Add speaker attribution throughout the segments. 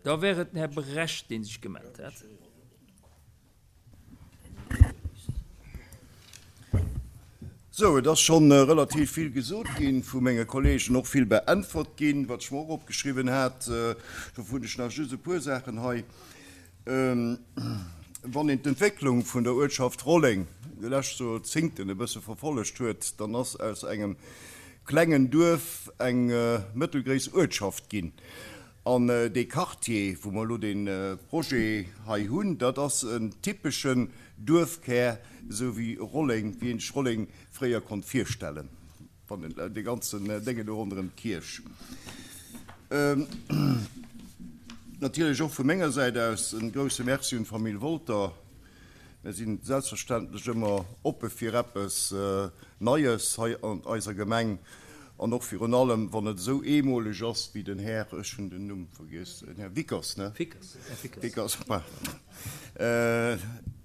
Speaker 1: Da wär et den Här Brecht, dee sech gemellt hat.
Speaker 2: Sou, et ass scho relativ vill gesot gi vu menge Kolleegen, och vill beäntwert ginn, wat ech mer och opgeschriwwen hat. Dofir hunn ech nach just e puer Saachen hei. Wann een d'Entwécklung vun der Uertschaft Rolleng déi lescht Joerzéngten e bësse verfollegt huet, dann ass aus engem klengen Duerf eng mëttelgréiss Uertschaft ginn. An dee Quartier, wou mer elo dee Projet hei hunn, dat ass en typeschen Duerfkär, esou wéi Rolleng, wéi een sech Rolleng fréier konnt virstellen. Wann en dee ganzen Déngen do ronderëm d'Kierch. Natierlech och vu menger Säit aus e grouse Merci un d'Famill Wolter. Mir si selbstverständlech ëmmer oppe fir eppes Neies hei an eiser Gemeng an och virun allem, wann et esou eemoleg ass wéi den Här, ech hunn den Numm vergiess, den Här Wickers, ne?
Speaker 1: Fickers, Här Fickers.
Speaker 2: Fickers, pardon.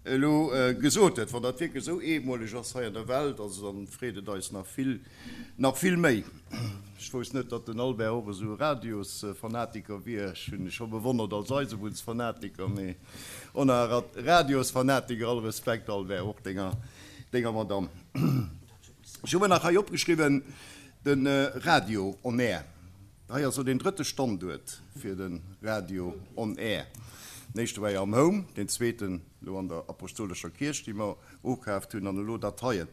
Speaker 2: Elo gesot huet, wann dat wierklech esou eemoleg ass hei an der Welt, also dann freet et eis nach vill, nach vill méi. Ech wousst net, datt den Albert och esou e Radiosfanatiker wier. Ech hunn e scho bewonnert als Eisebunnsfanatiker, mee och nach e Radiosfanatiker. All Respekt, Albert, och denger, denger Madamm. Ech hu mer nach hei opgeschriwwen, de Radio on air. Hei ass elo deen drëtte Standuert fir de Radio on Air. Den éischte war jo am Home, deen zweeten elo an der Apostolescher Kierch, déi mer ukaaft hunn, an elo dat heien.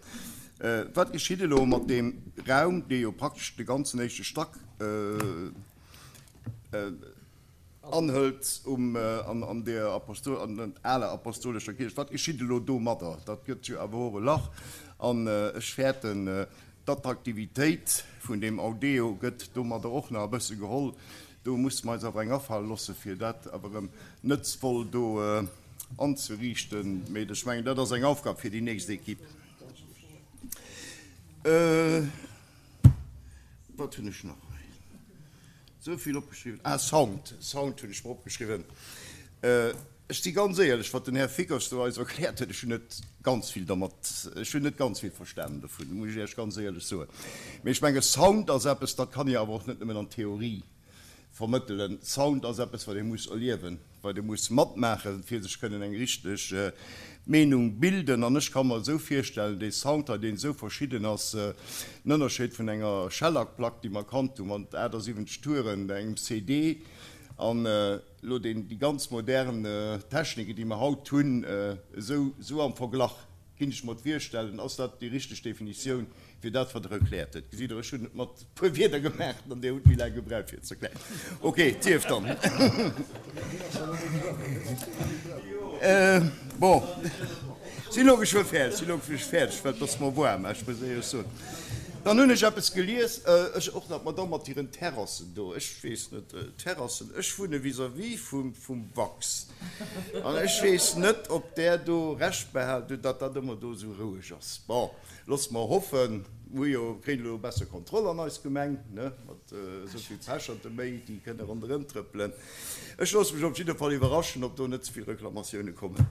Speaker 2: Wat geschitt elo mat deem Raum, dee jo praktesch de ganzen éischte Stack anhëlt um, an der Apostol, an der aler Apostolescher Kierch? Wat geschitt elo domadder? Dat gëtt jo awer och e Lach an ech fäerten, D'Attraktivitéit vun deem Audeo gëtt domadder och nach e bësse geholl. Do musse mer eis awer eng afale loosse fir dat awer erëm nëtzvoll do anzeriichten. Mee ech mengen, dat ass eng Aufgab fir déi nächst Equipe. Wat hunn ech nach hei esou vill opgeschriwwen? Ah, Sound, Sound hunn ech mer opgeschriwwen. Ech si ganz éierlech, wat den Här Fickers do eis erkläert huet, ech hunn net ganz vill dermat, ech hunn net ganz vill verstanen dovun, muss ech Iech ganz éierlech soen. Mee ech menge Sound ass eppes, dat kann ee awer och net nëmmen an Theorie vermëttelen. Sound ass eppes, wat ee muss erliewen, wat ee muss matmaachen, fir sech kënnen eng richteg Meenung bilden. An ech ka mer esou virstellen, dee Sound hei, deen esou verschidden ass, den Ënnerscheed vun enger Schellackplack, déi mer kannt hu mat 78 Touren, engem CD an, Elo deen, déi ganz modern Techniken, déi mer haut hunn, esou, esou am Verglach, kinnt ech mer et virstellen, ass dat déi richteg Definitioun fir dat, wat Der erkläert hutt. Gesitt Der, ech hunn et mat e puer Wierder gemaach an Dir hutt méi laang gebraucht, fir et ze erklären. Okay, et sief dann. Bon, sinn elo geschwë fäerdeg, sinn elo geschwë fäerdeg, well et ass mer waarm, ech muss éierlech soen. Dann hunn ech eppes gelies, ech och nach, d'Madamm mat hiren Terrassen do, ech weess net, Terrassen, ech wunne vis-à-vis vum, vum Wax an ech weess net, ob där do Recht behalen hutt, datt dat ëmmer do esou roueg ass. Bon, loosse mer hoffen, mir hu jo, kréien elo besser Kontroll an eis Gemeng, ne, mat esou vill Pecherte méi, déi kënne ronderëm trëppelen. Ech loosse mech op jidde Fall iwwerraschen, ob do net ze vill Reklamatioune kommen.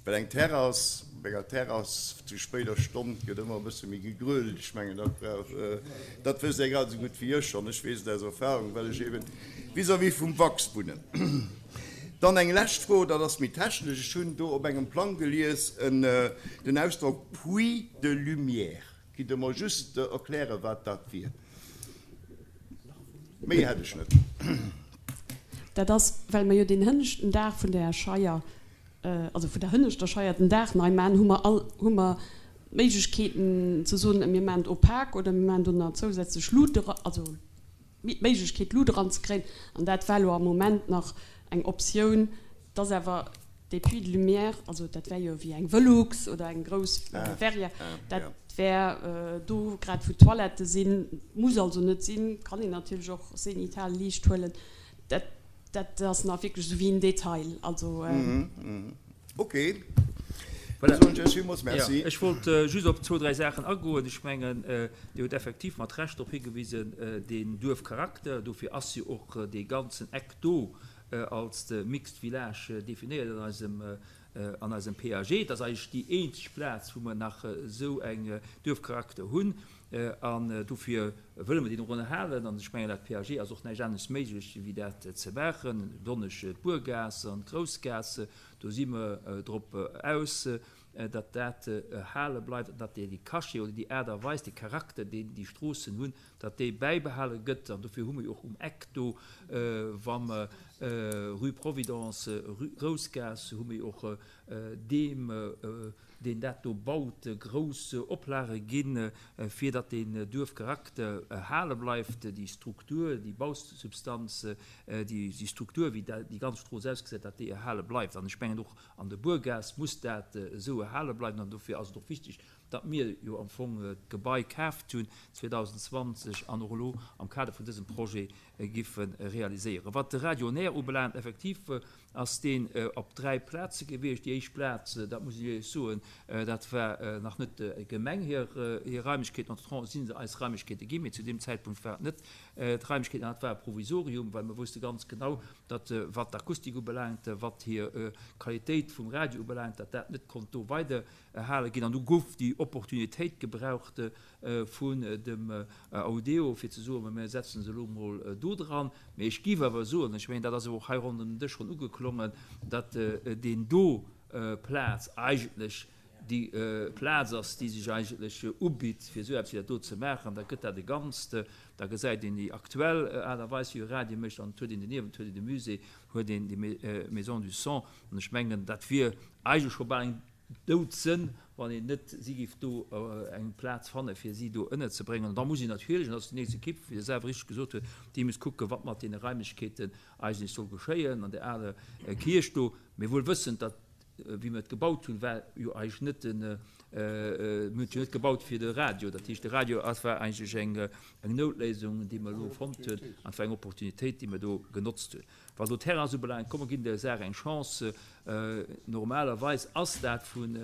Speaker 2: Well eng Terrass, op enger Terrass zu spéider Stonn gëtt ëmmer e bësse méi gegrölt. Ech mengen, dat brauch, dat wësst Dir grad esou gutt wéi ech, an ech weess et aus Erfahrung, well ech eeben vis-à-vis vum Wachs wunnen. Dann eng lescht Fro, dat ass méi technesch. Ech hunn do op engem Plang gelies en, den Ausdrock Puits de lumière. Kinnt Der mer just erklären, wat dat wier? Méi hätt ech net.
Speaker 3: Dat ass, well mer jo deen hënneschten Daach vun der Scheier, also vun der hënneschter Scheier den Daach nei maachen, hu mer all, hu mer d'Méiglechkeeten ze soen, mir maachen et opak oder mir maachen do nach zousätzlech Lut era, also d'Méiglechkeet Lut eranzekréien. An dat war elo am Moment nach eng Optioun. Et ass awer dee Puits de lumière, also dat wär jo wéi eng Velux oder eng grouss Verrière, dat wär do grad wou d'Toilettë sinn, muss also net sinn, kann een natierlech och zenital Liicht huelen. Dat, dat ass nach wierklech esou wéi en Detail, also.
Speaker 2: Ok, da soen ech Iech villmools Merci.
Speaker 1: Ech wollt just op zwou, dräi Saachen agoen. Ech mengen, Dir hutt effektiv mat Recht drop higewisen, deen Duerfcharakter, dofir ass jo och dee ganzen Eck do als de Mixed Village definéiert an eisem, an eisem PAG. Et ass eigentlech déi eenzeg Plaz, wou mer nach esou eng Duerfcharakter hunn. An dofir wëlle mer deen och ënnerhalen. An ech mengen, dat PAG ass och näischt anescht méiglech, wéi dat ze maachen. Besonnesch d'Buergaass an d'Groussgaass, do si mer drop aus, datt dat erhale bleift an datt dee Cachet oder déi Aart a Weis, dee Charakter, deen déi Stroossen hunn, datt dee bäibehale gëtt. An dofir hu mer jo och um Eck do, wa mer Rue Providence, Rue Groussgaass, hu mer jo och deem, deen dat do baut, grouss Oplage ginn, fir datt deen Duerfcharakter erhale bleift, déi Struktur, déi Bausubstanz, déi Struktur, wéi déi ganz Strooss ausgesäit, datt déi erhale bleift. An ech mengen, och an der Buergaass muss dat esou erhale bleiwen. An dofir ass et och wichteg, datt mir jo am Fong d'Gebai kaaft hunn 2020 an och elo am Kader vun dësem Projet giffe realiséieren. Wat de Radio on Air ubelaangt, effektiv ass deen op 3 Plaze gewiescht. Déi éischt Plaz, dat muss ech Iech soen, dat war nach net der Gemeng hir Raimlechkeeten. Entretemps si se eis Raimlechkeete ginn, mee zu deem Zäitpunkt war et net d'Raimlechkeeten an dat war e Provisorium, well mer wousste ganz genau, datt wat d'Akustik ubelaangt, wat hir Qualitéit vum Radio ubelaangt, datt dat net konnt do weider erhale ginn. An du gouf déi Opportunitéit gebraucht vun dem Audeo, fir ze soen, Mir setzen se elo emol do dran. Mee ech géif awer soen, ech mengen, dat ass awer och hei ronderëm den Dësch schonn ugeklongen, datt deen do Plaz eigentlech déi Plaz ass, déi sech eigentlech ubitt, fir esou eppes wéi dat do ze maachen. Da gëtt dat e Ganzt, da gesäit een déi aktuell Aart a Weis, wéi e Radio mécht, an et huet een doniewent huet een de Musée, huet een déi Maison du Son. An ech mengen, dat wier eigentlech scho bal eng Doudsënn, wann een net si géif do eng Plaz fanne fir si do ënnerzebréngen. An da muss een natierlech, an dat ass déi nächst Ekipp, wéi Der selwer richteg gesot hutt, déi muss kucken, wat mat deene Raimlechkeeten eigentlech soll geschéien an där aler Kierch do. Mee wuel wëssend, datt, wéi mer et gebaut hunn, war jo eigentlech net den, mir hunn et jo net gebaut fir de Radio. Dat heescht, de Radio ass, war eigentlech eng Noutléisung, déi mer elo fonnt hunn, an et war eng Opportunitéit, déi mer do genotzt hunn. Wat elo d'Terrains ubelaangt, komm mer ginn der Saach eng Chance. Normalerweis ass dat vun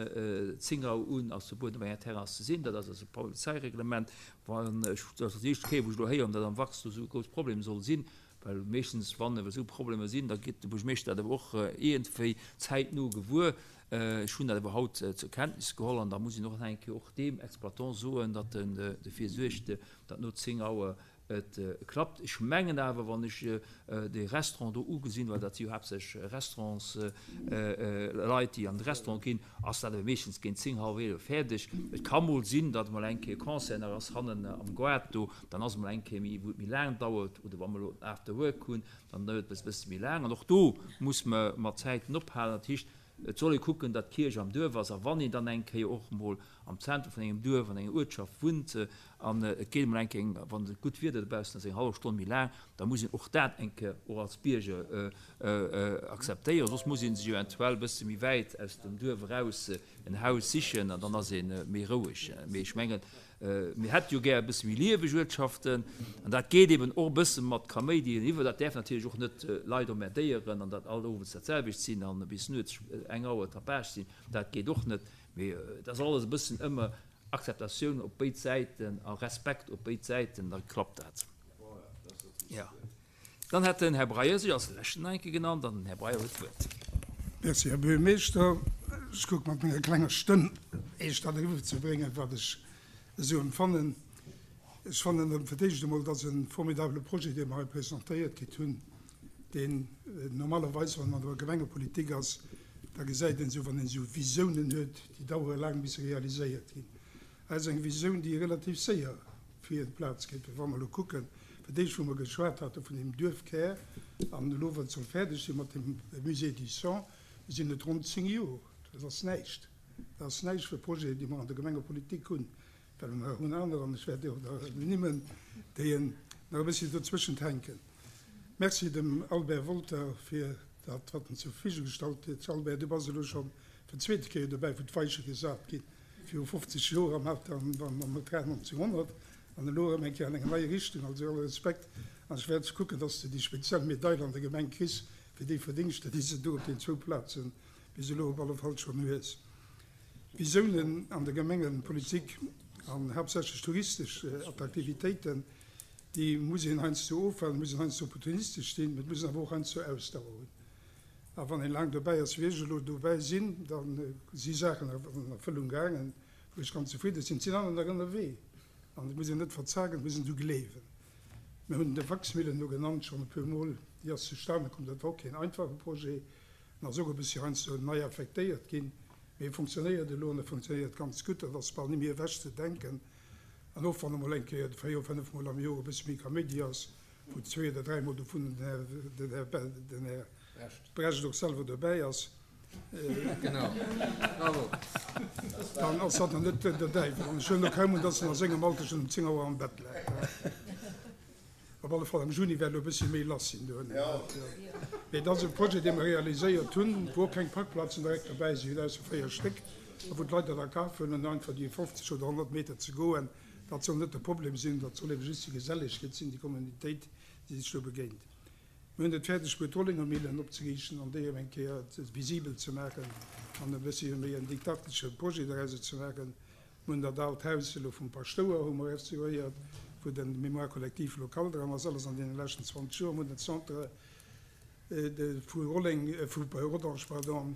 Speaker 1: 10 Auer un ass verbueden op enger Terrasse ze sinn. Dat ass eise Polizeireglement. Wann ech, dat ass déi éischt Kéier wou ech elo héieren, datt am Wachs do esou e grouss Problem soll sinn, well meeschtens wann esou Problemer sinn, da gëtt de Buergermeeschter dat awer och iergendwéi zäitno gewuer. Ech hunn dat awer haut zur Kenntnis geholl an da muss een och nach eng Kéier och deem Exploitant soen, datt en dofir suergt, datt no 10 Auer Et klappt. Ech mengen awer, wann ech dee Restaurant do ugesinn, well dat si jo haaptsächlech Restaurantsleit, déi an de Restaurant ginn, ass dat awer meeschtens géint 10, hallwer 11 fäerdeg. Et ka mol sinn, datt emol eng Kéier Concert nach ass hannen am Goart do, dann ass emol eng Kéier méi, wou et méi laang dauert, oder wa mer elo den After Work hunn, dann dauert et e bësse méi laang. An och do muss mer mat Zäiten ophalen. Dat heescht, Et soll ee kucken, datt d'Kierch am Duerf ass, a wann een dann eng Kéier och emol am Zentrum vun engem Duerf, an enger Uertschaft wunnt, an et geet emol eng Kéier, wann et gutt Wieder dobaussen ass, eng hallef Stonn méi laang, da muss een och dat eng Kéier och als Bierger akzeptéieren. Soss muss ee sech eventuell e bësse méi wäit aus dem Duerf eraus en Haus sichen, an dann ass ee méi roueg. Mee ech mengen, Mir hätte jo gär e bësse méi lieweg Uertschaften, an dat geet eben och e bësse mat Kaméidi eriwwer. Dat däerf natierlech och net Leit emmerdéieren an dat all owes dat selwecht sinn an bis nuets eng Auer Tapage sinn, dat geet och net. Mee et ass alles e bëssen ëmmer Akzeptatioun op béid Säiten a Respekt op béid Säiten, da klappt dat. Jo. Dann hätt den Här Breyer sech als leschten nach eng Kéier genannt an den Här Breyer huet d'Wuert.
Speaker 4: Merci, Här Buergermeeschter. Ech kucke mat menger klenger Stëmm, Iech dat eriwwerzebréngen, wat ech esou empfannen. Ech fannen fir d'éischt emol, et ass e formidabele Projet, dee mer hei presentéiert kritt hunn, deen normalerweis, wann een an der Gemengepolitik ass, da gesäit een esou, wann een esou Visiounen huet, déi dauere laang, bis se realiséiert ginn. Hei ass eng Visioun, déi relativ séier fir d'Plaz geet. Well wa mer elo kucken, fir d'éischt wou mer geschwat hate vun deem Duerfkär an elo wat soll fäerdeg si mat dem Musée du Sang, sinn et ronn 10 Jor. Dat ass näischt. Dat ass näischt fir Projeten, déi mer an der Gemengepolitik hunn. Well mer hunn aner, an ech wäert déi och nach ernimmen, déi nach e bëssi dozwëschent hänken. Merci dem Albert Wolter fir dat, wat en zur Verfügung gestallt huet. Albert, du bass elo scho fir d'zweete Kéier dobäi, wou d'Weiche gesat ginn. Viru 50 Joer am Hotel 1900 an elo erëm eng Kéier an enger neier Richtung. Also alle Respekt an ech wäert kucken, dass de déi speziell Medail an der Gemeng kriss fir déi Verdingschter, déi s de do op den zwou Plaze bis elo op alle Fall schonn hues. Visiounen an der Gemengepolitik an haaptsächlech touristesch Attraktivitéiten, déi muss een heiansdo ofwalen, muss een heiansdo opportunistesch sinn, mee et muss een awer och heiansdo Ausdauer hunn. A wann een laang dobäi ass, wéi ech elo dobäi sinn, da si Saachen an Erfëllung gaangen, wou ech ganz zefridde sinn. Et sinn aner nach ënnerwee. An et muss een net verzagen, et muss een dru gleewen. Mir hunn de Wachsmillen elo genannt schonn e puer Mol. Déi ass zustane komm. Dat war och keen einfache Projet en ass och e bëssi heiansdo nei affektéiert ginn, mee e funktionéiert elo an e funktionéiert ganz gutt. Dat ass bal ni méi ewech ze denken. An och wann emol eng Kéier véier, fënnef Mol am Joer e bëssi méi Kaméidi ass, wou zwee oder dräi Mol dovun den Här, den Här Brecht och selwer dobäi ass, dann ass dat nach net der Däiwel. An ech huelen och kaum un, dass en a sengem Alter schonn um 10 Auer am Bett läit. Op alle Fall am Juni wäert elo e bëssi méi lass sinn dohinner. Mee et ass e Projet, dee mer realiséiert hunn, wou och keng Parkplazen direkt dobäi sinn, ausser 4 Stéck, a wou d'Leit dat a Kaf huelen, einfach déi 50 oder 100 Meter ze goen. Dat soll net de Problem sinn, dat soll ebe just déi Gesellegkeet sinn, déi Communitéit, déi sech do begéint. Mir hunn et fäerdeg bruet, d'Rollinger Millen opzeriichten an déi erëm eng Kéier visibel ze maachen an e bëssi méi en didaktesche Projet dorauser ze maachen. Mir hunn dat aalt Haus elo vum Paschtouer hu mer restauréiert, wou de Mémoire collective local dran ass, alles an deene leschten 20 Joer. Mir hunn den Centre vu Rolleng, vu Rodange, pardon,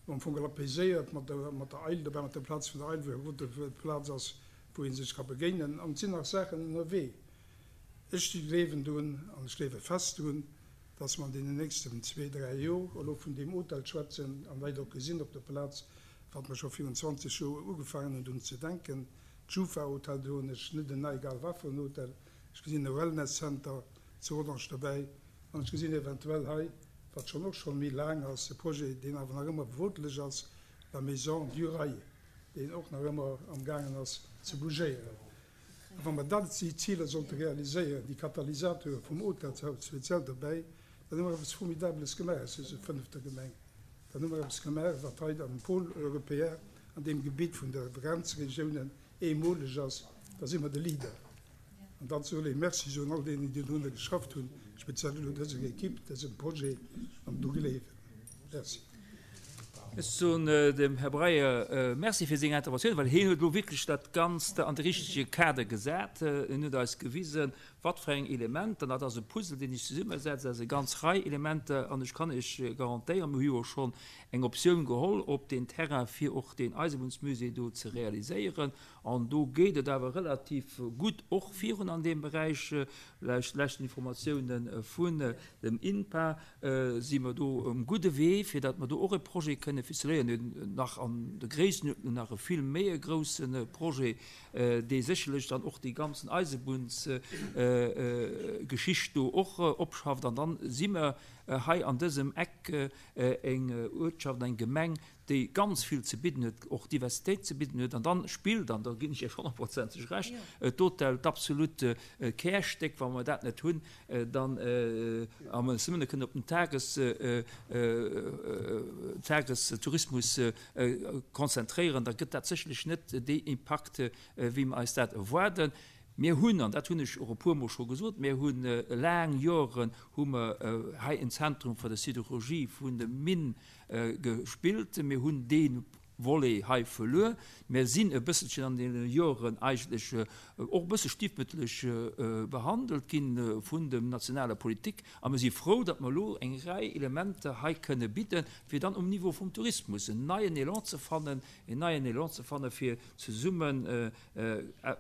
Speaker 4: am Fong apaiséiert mat der, mat der Eil dobäi, mat der Plaz vun der Eil, wou eng gutt Plaz ass, wou ee sech ka begéinen. An et sinn nach Saachen ënnerwee. Ech gleewen drun an ech gleewe fest drun, dass mer an deenen nächsten zwee, dräi Jor elo vun deem Hotel schwätzen an Leit och gesinn op der Plaz, wat mer scho virun 20 Joer ugefaangen hunn drun ze denken. D'Schufa-Hotel, do hunn ech net en egal wat fir en Hotel, ech gesinn e Wellness-Center zu Rodange dobäi an ech gesinn eventuell hei, wat schonn och scho méi laang ass, e Projet, deen awer nach ëmmer bewotlech ass, la Maison du Rail, deen och nach ëmmer amgaangen ass ze bougéieren. A wa mer dat, déi Ziler sollte realiséieren, déi Katalysateure vum Hotelshaus speziell dobäi, dann hu mer eppes Formidabeles gemaach aus dëser fënnefter Gemeng. Dann hu mer eppes gemaach, wat hei am Pôle européen, an deem Gebitt vun de Grenzregiounen eemoleg ass. Da si mer de Leader. An dann soll ee Merci soen all deenen, déi dorunner geschafft hunn, speziell elo dëser Equipe, dësem Projet an dru gleewen. Merci.
Speaker 1: Ech soen dem Här Breyer Merci fir seng Interventioun, well hien huet elo wierklech dat Ganzt an de richtege Kader gesat. En huet eis gewisen, wat fir eng Elementer, an dat ass e Puzzle, deen sech zesummesetzt aus e ganz Rei Elementer, an ech kann Iech garantéieren, mir hu jo schonn eng Optioun geholl op deen Terrain, fir och deen Eisebunnsmusée do ze realiséieren. An do geet et awer relativ gutt och virun an deem Beräich. Laut leschten Informatiounen vun dem INPA si mer do um gudde Wee, fir datt mer do och e Projet kënne ficeléieren, nach an der Gréissenuerdnung nach e vill méi e grousse Projet, dee sécherlech dann och déi ganzen Eisebunnsgeschicht do och opschafft. An dann si mer hei an dësem Eck eng Uertschaft, eng Gemeng, déi ganz vill ze bidden huet, och Diversitéit ze bidden huet, an dann spillt, an do ginn ech Iech honnertprozenteg Recht, d'Hotel d'absolut Kärstéck. Wa mer dat net hunn, dann, a mer eis nëmme kënnen op den Tages, Tagestourismus konzentréieren, da gëtt dat sécherlech net dee Impakt, wéi mer eis dat erwaarden. Mir hunn, an dat hunn ech och e puermol scho gesot, mir hu laang Joren hu mer hei en Zentrum fir de Sidérurgie vun de Minn gespillt. Mir hunn dee Volet hei verluer. Mir sinn e bësselchen an deene Joren eigentlech och e bësse stiefmütterlech behandelt gi vun dem nationaler Politik a mir si frou, datt mer elo eng Rei Elementer hei kënne bidden, fir dann um Niveau vum Tourismus en neien Elan ze fannen, en neien Elan ze fannen, fir zesummen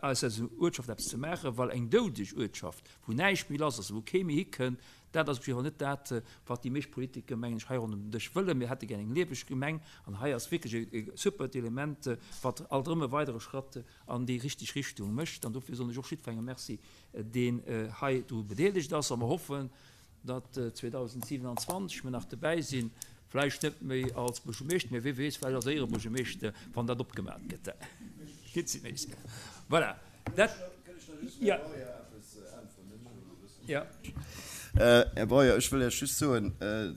Speaker 1: aus eiser Uertschaft eppes ze maachen, well eng doudeg Uertschaft, wou näischt méi lass ass, wou kee méi hikënnt, Dat ass op jidde Fall net dat, wat déi meescht Politiker, mengen ech, hei ronderëm den Dësch wëllen. Mir hätte gär eng lieweg Gemeng. An hei ass wierklech e supert Element, wat alt erëm e weidere Schratt an déi richteg Richtung mécht. An dofir soen ech och jiddwerengem Merci, deen hei dru bedeelegt ass. A mer hoffen, datt 2027 mer nach dobäi sinn, vläicht net méi als Buergermeeschter, mä wie weess, vläicht als Éierebuergermeeschter, wann dat opgemat gëtt. Voilà, dat, jo.
Speaker 2: Här Breyer, ech wëll Iech just soen,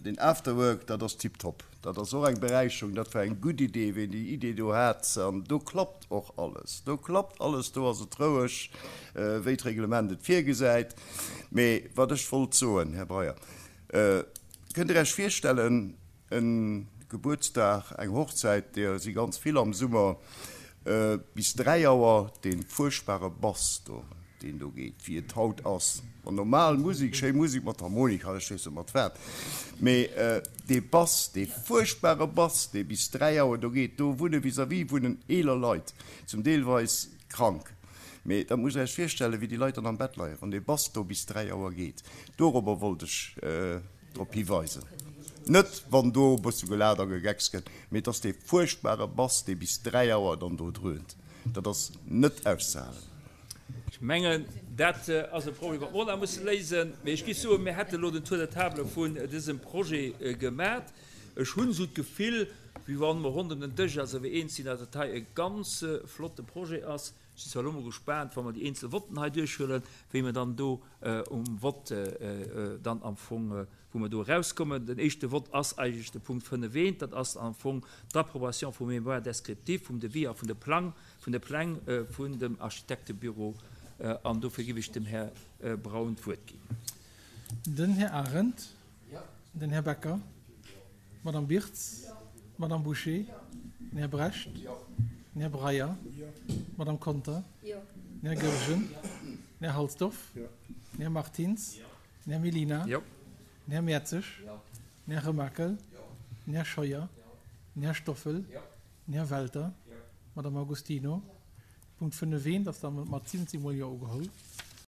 Speaker 2: deen Afterwork, dat ass tiptop. Dat ass och eng Beräicherung. Dat war eng gutt Idee, ween déi Idee do hat. An do klappt och alles. Do klappt alles, do ass et roueg, wéi d'Reglement et virgesäit. Mee wat ech wollt soen, Här Breyer, Kënnt Dir Iech virstellen, E Gebuertsdag, eng Hochzäit, deeër si ganz vill am Summer, bis 3 Auer, dee fuerchtbare Bass do, deen do geet, wéi et haut ass, ma normal Musek, schéi Musek mat Harmonika, ech weess net mat wat, mee dee Bass, dee fuerchtbare Bass, dee bis 3 Auer do geet, do wunne vis-à-vis wunnen eeler Leit, zum deelweis krank. Mee dat musst Der Iech virstellen, wéi déi Leit dann am Bett leien, wann dee Bass do bis 3 Auer geet. Dorobber wollt ech drop hiweisen. Net, wann do e bësse gelaacht a gegeckst gëtt, mee et ass dee fuerchtbare Bass, dee bis 3 Auer dann do dröhnt. Dat ass net auszehalen.
Speaker 1: Ech mengen, dat ass e Problem, wat mer och nach musse léisen. Mee ech géif soen, mir hätte elo den Tour de table vun dësem Projet gemat. Ech hunn esou d'Gefill, wéi wa mer rondëm den Dësch eis awer eens sinn, datt dat hei e ganz flotte Projet ass. Ech sinn zwar elo mol gespaant, wa mer déi eenzel Votten hei duerchhuelen, wéi mer dann do um Vott dann am Fong, wou mer do erauskommen. Den éischte Vott ass eigentlech de Punkt 5 eent, dat ass am Fong d'Approbation vum Mémoire descriptif, vum Devis a vun de Plang, vun de Pläng vun dem Architektebüro. An dofir géif ech dem Här Braun d'Wuert ginn.
Speaker 5: Den Här Arendt. Den Här Becker. D'Madame Birtz. D'Madame Bouché. Den Här Brecht. Den Här Breyer. D'Madame Conter. Den Här Goergen. Den Här Halsdorf. Den Här Martins. Den Här Mellina. Den Här Mertzig. Den Här Remakel. Den Här Scheuer. Den Här Stoffel. Den Här Welter. D'Madame Agostino. Punkt 5 eent ass da mat 17 mol Jo ugeholl.